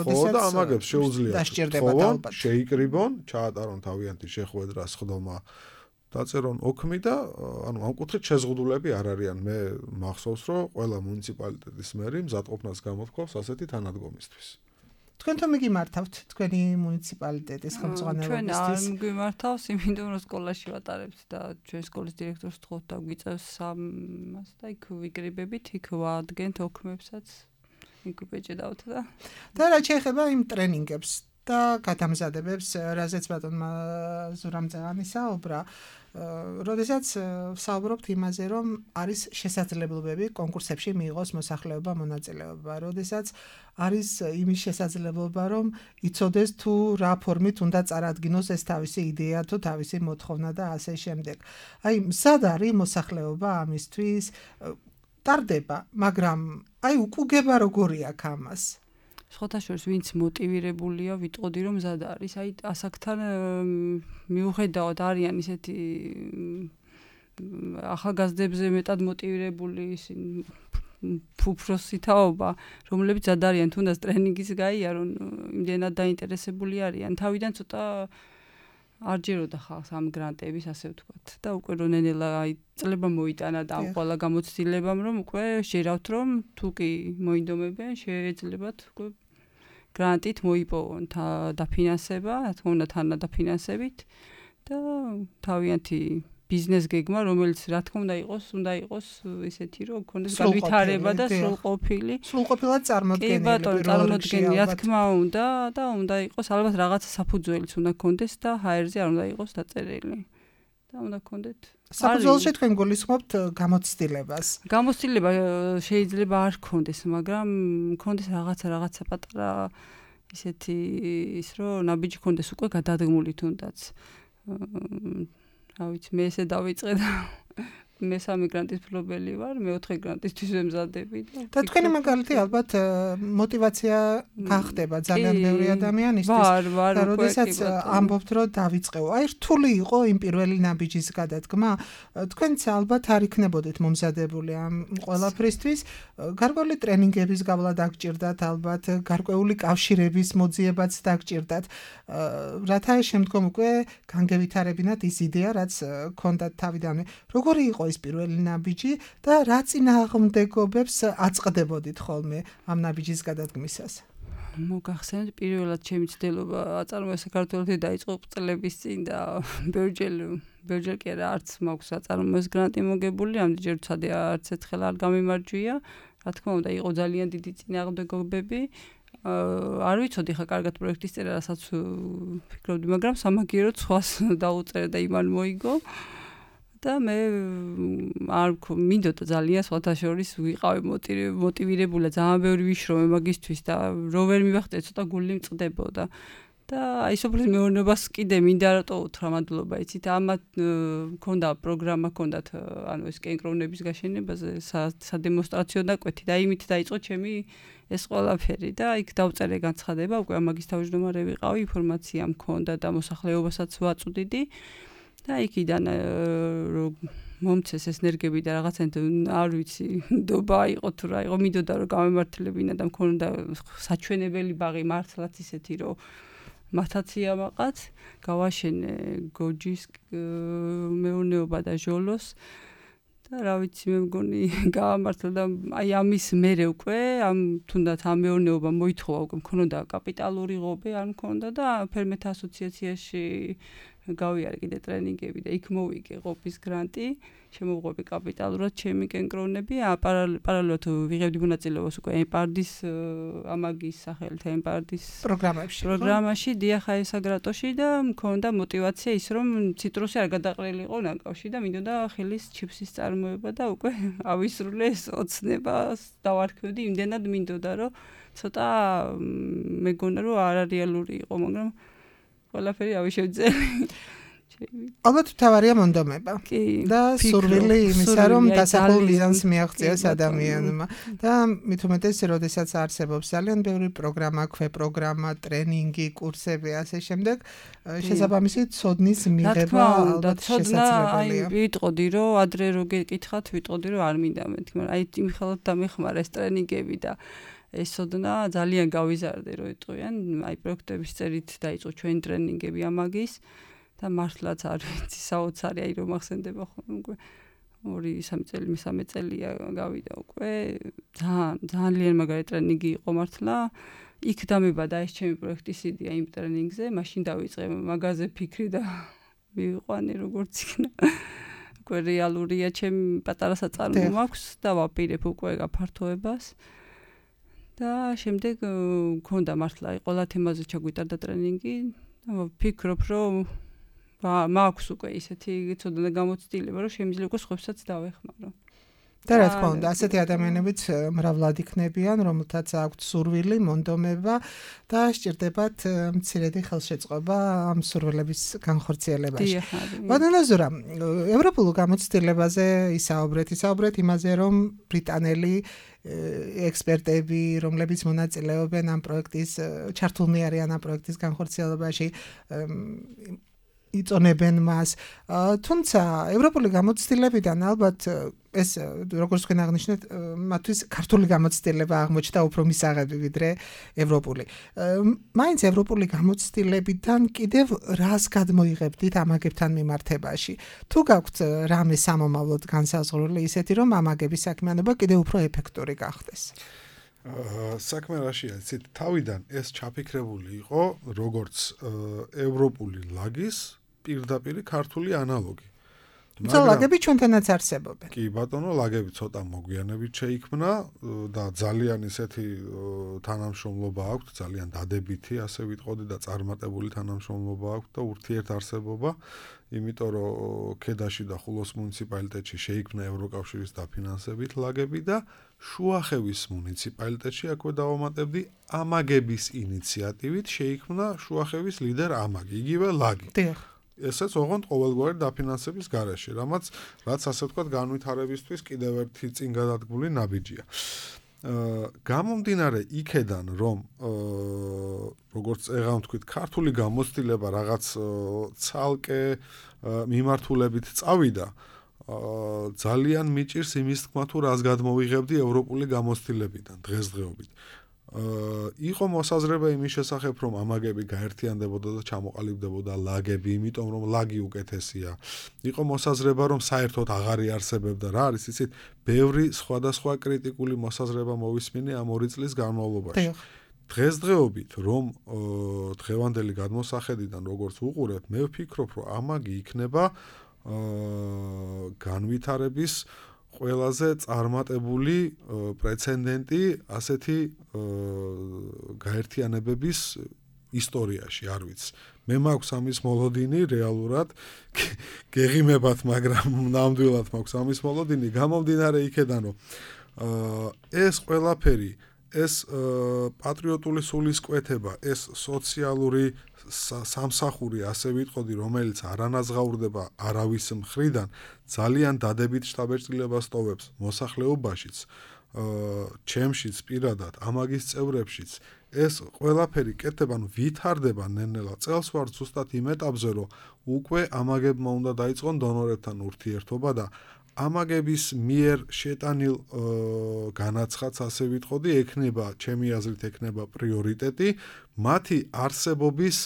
ხო და ამაგებს შეუძლიათ თხოვონ, შეიკრიბონ, ჩაატარონ თავიანთი შეხვედრა სხდომა, დაწერონ ოქმი და ანუ ამ კუთხით შეზღუდულები არ არიან. მე მახსოვს, რომ ყველა მუნიციპალიტეტის მერი მზადყოფნას გამოთქვავს ასეთი თანადგომისთვის. თქვენ თომ მიგიმართავთ თქვენი მუნიციპალიტეტის ხელმძღვანელობისთვის? ჩვენ არ მიგიმართავს, იმიტომ რომ სკოლაში ვატარებთ და ჩვენ სკოლის დირექტორს ვთხოვთ და გვიწევს ამას და იქ ვიკრიბებით, იქ ვადგენთ ოქმებსაც, იქ ვეჭედავთ და და რა შეეხება იმ ტრენინგებს და გადამზადებებს, რაზეც ბატონმა ზურამ ძაღანი საუბრა, როდესაც საუბრობთ იმაზე, რომ არის შესაძლებლობები კონკურსებში მიიღოს მოსახლეობა მონაწილეობა, როდესაც არის იმის შესაძლებლობა, რომ იცოდეს თუ რა ფორმით უნდა წარადგინოს ეს თავისი იდეა თუ თავისი მოთხოვნა და ასე შემდეგ. აი, მზად არის მოსახლეობა ამისთვის, ტარდება, მაგრამ აი უკუგება როგორი აქვს ამას? სხვათა შორის ვინც მოტივირებულია, ვიტყოდი რომ მზად არის. აი ასაკთან მიუხედავად არიან ისეთი ახალგაზრდებზე მეტად მოტივირებული ფუფროსი თაობა, რომლებიც მზად არიან თუნდაც ტრენინგის გაიარონ, იმდენად დაინტერესებული არიან. თავიდან ცოტა არ ჯეროდა ხალხს ამ გრანტების, ასე ვთქვათ. და უკვე რომ ნენელა აი წლება მოიტანა და ამ ყველა გამოცდილებამ, რომ უკვე შერავთ, რომ თუ კი მოინდომებენ, შეეძლებათ უკვე გრანტით მოიპოვონ დაფინანსება, რა თქმა უნდა თანადაფინანსებით და თავიანთი ბიზნეს გეგმა, რომელიც რა თქმა უნდა იყოს, უნდა იყოს ისეთი, რომ გქონდეს განვითარება და სრულყოფილი. სრულყოფილად წარმოდგენილი. კი ბატონო, წარმოდგენილი, რა თქმა უნდა და უნდა იყოს ალბათ რაღაცა საფუძველიც უნდა გქონდეს და ჰაერზე არ უნდა იყოს დაწერილი. და უნდა გქონდეთ. საფუძველში თქვენ გულისხმობთ გამოცდილებას. გამოცდილება შეიძლება არ გქონდეს, მაგრამ გქონდეს რაღაცა რაღაცა პატარა ისეთი ის რომ ნაბიჯი გქონდეს უკვე გადადგმული თუნდაც. რა ვიცი, მე ესე დავიწყე და მესამე გრანტის მფლობელი ვარ, მეოთხე გრანტისთვის ვემზადები და და თქვენი მაგალითი ალბათ мотиваცია გახდება ძალიან ბევრი ადამიანისთვის. და როდესაც ამბობთ რომ დავიწყეო, აი რთული იყო იმ პირველი ნაბიჯის გადადგმა, თქვენც ალბათ არ იქნებოდეთ მომზადებული ამ ყველაფრისთვის, გარკვეული ტრენინგების გავლა დაგჭირდათ, ალბათ გარკვეული კავშირების მოძიებაც დაგჭირდათ, რათა შემდგომ უკვე განგევითარებინათ ის იდეა, რაც გქონდათ თავიდანვე. როგორი იყო ის პირველი ნაბიჯი და რა წინააღმდეგობებს აწყდებოდით ხოლმე ამ ნაბიჯის გადადგმისას? მოგახსენეთ, პირველად ჩემი ცდელობა აწარმოა საქართველოში დაიწყო წლების წინ და ბერჯელ ბერჯელ კი არა, არც მაქვს აწარმოეს გრანტი მოგებული, ამდენჯერ ვცადე არც ერთხელ არ გამიმარჯვია. რა თქმა უნდა, იყო ძალიან დიდი წინააღმდეგობები. არ ვიცოდი ხა კარგად პროექტის წერა, რასაც ვფიქრობდი, მაგრამ სამაგიეროდ სხვას დაუწერე და იმან მოიგო. და მე არ მინდოდა ძალიან სხვათა შორის ვიყავი მოტივირებული, ძალიან ბევრი ვიშრომე მაგისთვის და რო ვერ მივახტე ცოტა გული მწყდებოდა. და აი სოფლის მეურნეობას კიდე მინდა რატო უთხრა მადლობა, იცით, ამათ მქონდა პროგრამა, ჰქონდათ ანუ ეს კენკროვნების გაშენებაზე სადემონსტრაციო დაკვეთი და იმით დაიწყო ჩემი ეს ყველაფერი და იქ დავწერე განცხადება, უკვე ამაგის თავმჯდომარე ვიყავი, ინფორმაცია მქონდა და მოსახლეობასაც ვაწვდიდი. და იქიდან რომ მომცეს ეს ენერგები და რაღაცნაირად არ ვიცი, ნდობა იყო თუ რა იყო, მინდოდა რომ გამემართლებინა და მქონდა საჩვენებელი ბაღი მართლაც ისეთი რომ მათაცია მაყაც, გავაშენე გოჯის მეურნეობა და ჟოლოს და რა ვიცი, მე მგონი გაამართლა და აი ამის მერე უკვე ამ თუნდაც ამ მეურნეობა მოითხოვა, უკვე მქონდა კაპიტალური ღობე არ მქონდა და ფერმერთა ასოციაციაში გავიარე კიდე ტრენინგები და იქ მოვიგე ყოფის გრანტი, შემოვღვები კაპიტალურად ჩემი კენკროვნები, პარალელურად ვიღებდი მონაწილეობას უკვე ემპარდის ამაგის სახელით ემპარდის პროგრამებში. პროგრამაში დიახა ესაგრატოში და მქონდა мотиваცია ის რომ ციტრუსი არ გადაყრილიყო ნაკავში და მინდოდა ხელის ჩიფსის წარმოება და უკვე ავისრულე ეს ოცნებას დავარქმევდი, იმდენად მინდოდა რომ ცოტა მეგონა რომ არარეალური იყო, მაგრამ ყველაფერი ავიშევძელი. ალბათ თავარია მონდომება და სურვილი იმისა, რომ დასახულ მიზანს მიაღწიოს ადამიანმა. და მით უმეტეს, როდესაც არსებობს ძალიან ბევრი პროგრამა, ქვეპროგრამა, ტრენინგი, კურსები, ასე შემდეგ, შესაბამისი ცოდნის მიღება ალბათ შესაძლებელია. აი, ვიტყოდი, რომ ადრე რო გეკითხათ, ვიტყოდი, რომ არ მინდა მეთქი, მაგრამ აი იმხელად დამეხმარა ეს ტრენინგები და ეს ოდნა ძალიან გავიზარდე რომ იტყვიან, აი პროექტების წერით დაიწყო ჩვენი ტრენინგები ამაგის და მართლაც არ ვიცი, საოცარი აი რომ ახსენდება ხოლმე უკვე ორი სამი წელი, მესამე წელია გავიდა უკვე, ძალიან ძალიან მაგარი ტრენინგი იყო მართლა. იქ დამებადა ეს ჩემი პროექტის იდეა იმ ტრენინგზე, მაშინ დავიწყე მაგაზე ფიქრი და მივიყვანე როგორც იქნა. უკვე რეალურია ჩემი პატარა საწარმო მაქვს და ვაპირებ უკვე გაფართოებას. და შემდეგ მქონდა მართლა ყველა თემაზე ჩაგვიტარდა ტრენინგი და ვფიქრობ რომ მაქვს უკვე ისეთი ცოდნა გამოცდილება რომ შემიძლია უკვე სხვებსაც დავეხმარო. და რა თქმა უნდა, ასეთი ადამიანებიც მრავლად იქნებიან, რომელთაც აქვთ სურვილი, მონდომება და სჭირდებათ მცირედი ხელშეწყობა ამ სურვილების განხორციელებაში. ბატონო ზურა, ევროპულ გამოცდილებაზე ისაუბრეთ, ისაუბრეთ იმაზე, რომ ბრიტანელი ექსპერტები, რომლებიც მონაწილეობენ ამ პროექტის, ჩართულნი არიან ამ პროექტის განხორციელებაში, იწონებენ მას. თუმცა ევროპული გამოცდილებიდან ალბათ ეს როგორც თქვენ აღნიშნეთ, მათთვის ქართული გამოცდილება აღმოჩნდა უფრო მისაღები ვიდრე ევროპული. მაინც ევროპული გამოცდილებიდან კიდევ რას გადმოიღებდით ამაგებთან მიმართებაში? თუ გაქვთ რამე სამომავლოდ განსაზღვრული ისეთი, რომ ამაგების საქმიანობა კიდევ უფრო ეფექტური გახდეს? საქმე რაშია, იცით, თავიდან ეს ჩაფიქრებული იყო როგორც ევროპული ლაგის პირდაპირი ქართული ანალოგი. თუმცა ლაგები ჩვენთანაც არსებობენ. კი ბატონო, ლაგები ცოტა მოგვიანებით შეიქმნა და ძალიან ისეთი თანამშრომლობა აქვს, ძალიან დადებითი, ასე ვიტყოდი და წარმატებული თანამშრომლობა აქვს და ურთიერთარსებობა, იმიტომ რომ ქედაში და ხულოს მუნიციპალიტეტში შეიქმნა ევროკავშირის დაფინანსებით ლაგები და შუახევის მუნიციპალიტეტში აქვე დავამატებდი ამაგების ინიციატივით შეიქმნა შუახევის ლიდერ ამაგი, იგივე ლაგი. დიახ. ესეც ოღონდ ყოველგვარი დაფინანსების გარეშე, რამაც რაც ასე ვთქვათ განვითარებისთვის კიდევ ერთი წინ გადადგმული ნაბიჯია. გამომდინარე იქედან, რომ როგორც წეღან ვთქვით, ქართული გამოცდილება რაღაც ცალკე მიმართულებით წავიდა, ძალიან მიჭირს იმის თქმა, თუ რას გადმოვიღებდი ევროპული გამოცდილებიდან დღესდღეობით. იყო მოსაზრება იმის შესახებ, რომ ამაგები გაერთიანდებოდა და ჩამოყალიბდებოდა ლაგები, იმიტომ რომ ლაგი უკეთესია. იყო მოსაზრება, რომ საერთოდ აღარ იარსებებდა, რა არის, იცით, ბევრი სხვადასხვა კრიტიკული მოსაზრება მოვისმინე ამ ორი წლის განმავლობაში. დღესდღეობით, რომ დღევანდელი გადმოსახედიდან როგორც უყურებ, მე ვფიქრობ, რომ ამაგი იქნება განვითარების ყველაზე წარმატებული პრეცედენტი ასეთი გაერთიანებების ისტორიაში, არ ვიცი. მე მაქვს ამის მოლოდინი რეალურად გეღიმებათ, მაგრამ ნამდვილად მაქვს ამის მოლოდინი, გამომდინარე იქედან, რომ ეს ყველაფერი, ეს პატრიოტული სულისკვეთება, ეს სოციალური სამსახური, ასე ვიტყოდი, რომელიც არანაზღაურდება არავის მხრიდან, ძალიან დადებით შთაბეჭდილებას ტოვებს მოსახლეობაშიც, ჩემშიც პირადად, ამაგის წევრებშიც. ეს ყველაფერი კეთდება, ნუ ვითარდება ნელ-ნელა. წელს ვარ ზუსტად იმ ეტაპზე, რომ უკვე ამაგებმა უნდა დაიწყონ დონორებთან ურთიერთობა და ამაგების მიერ შეტანილ განაცხადს, ასე ვიტყოდი, ექნება, ჩემი აზრით, ექნება პრიორიტეტი მათი არსებობის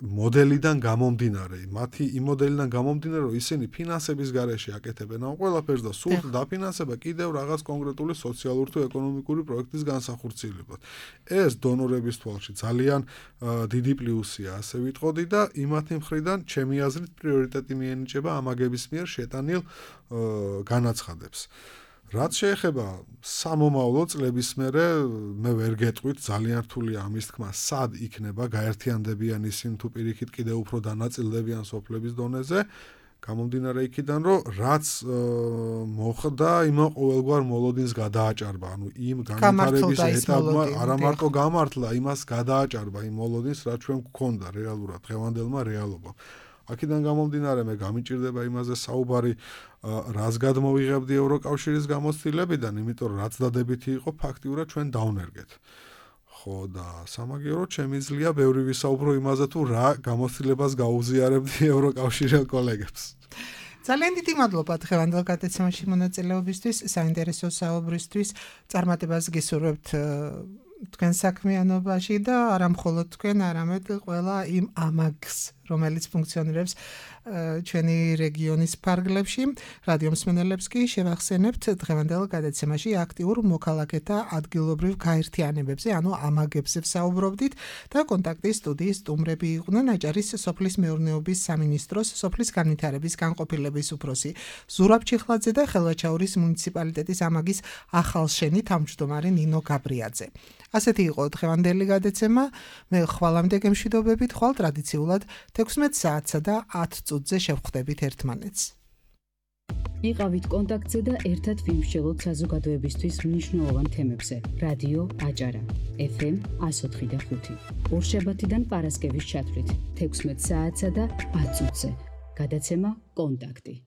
მოდელიდან გამომდინარე, მათი იმ მოდელიდან გამომდინარე, რომ ისინი ფინანსების გარეშე აკეთებენ ამ ყველაფერს და სურთ დაფინანსება კიდევ რაღაც კონკრეტული სოციალური თუ ეკონომიკური პროექტის განსახორციელებლად. ეს დონორების თვალში ძალიან დიდი პლუსია, ასე ვიტყოდი და იმათი მხრიდან, ჩემი აზრით, პრიორიტეტი მიენიჭება ამაგების მიერ შეტანილ განაცხადებს. რაც შეეხება სამომავლო წლების მერე, მე ვერ გეტყვით, ძალიან რთულია ამის თქმა, სად იქნება გაერთიანდებიან ისინი თუ პირიქით კიდევ უფრო დანაწილდებიან სოფლების დონეზე, გამომდინარე იქიდან, რომ რაც მოხდა, იმან ყოველგვარ მოლოდინს გადააჭარბა, ანუ იმ განვითარების ეტაპმა არა მარტო გამართლა, იმას გადააჭარბა იმ მოლოდინს, რაც ჩვენ გვქონდა რეალურად დღევანდელმა რეალობამ. აქედან გამომდინარე მე გამიჭირდება იმაზე საუბარი, რას გადმოვიღებდი ევროკავშირის გამოცდილებიდან, იმიტომ რომ რაც დადებითი იყო, ფაქტიურად ჩვენ დავნერგეთ. ხო და სამაგიეროდ შემიძლია ბევრი ვისაუბრო იმაზე, თუ რა გამოცდილებას გაუზიარებდი ევროკავშირელ კოლეგებს. ძალიან დიდი მადლობა დღევანდელ გადაცემაში მონაწილეობისთვის, საინტერესო საუბრისთვის, წარმატებას გისურვებთ თქვენ საქმიანობაში და არა მხოლოდ თქვენ, არამედ ყველა იმ ამაგს, რომელიც ფუნქციონირებს ჩვენი რეგიონის ფარგლებში. რადიო მსმენელებს კი შევახსენებთ დღევანდელ გადაცემაში აქტიურ მოქალაქეთა ადგილობრივ გაერთიანებებზე, ანუ ამაგებზე ვსაუბრობდით და კონტაქტის სტუდიის სტუმრები იყვნენ აჭარის სოფლის მეურნეობის სამინისტროს სოფლის განვითარების განყოფილების უფროსი ზურაბ ჩიხლაძე და ხელვაჩაურის მუნიციპალიტეტის ამაგის ახალშენი თავმჯდომარე ნინო გაბრიაძე. ასეთი იყო დღევანდელი გადაცემა. მე ხვალამდე გემშვიდობებით, ხვალ ტრადიციულად თექვსმეტ საათსა და ათ წუთზე შევხვდებით ერთმანეთს. იყავით კონტაქტზე და ერთად ვიმსჯელოთ საზოგადოებისთვის მნიშვნელოვან თემებზე. რადიო აჭარა ეფ ემ εκατო ოთხი და ხუთი. ორშაბათიდან პარასკევის ჩათვლით თექვსმეტ საათსა და ათ წუთზე. გადაცემა კონტაქტი.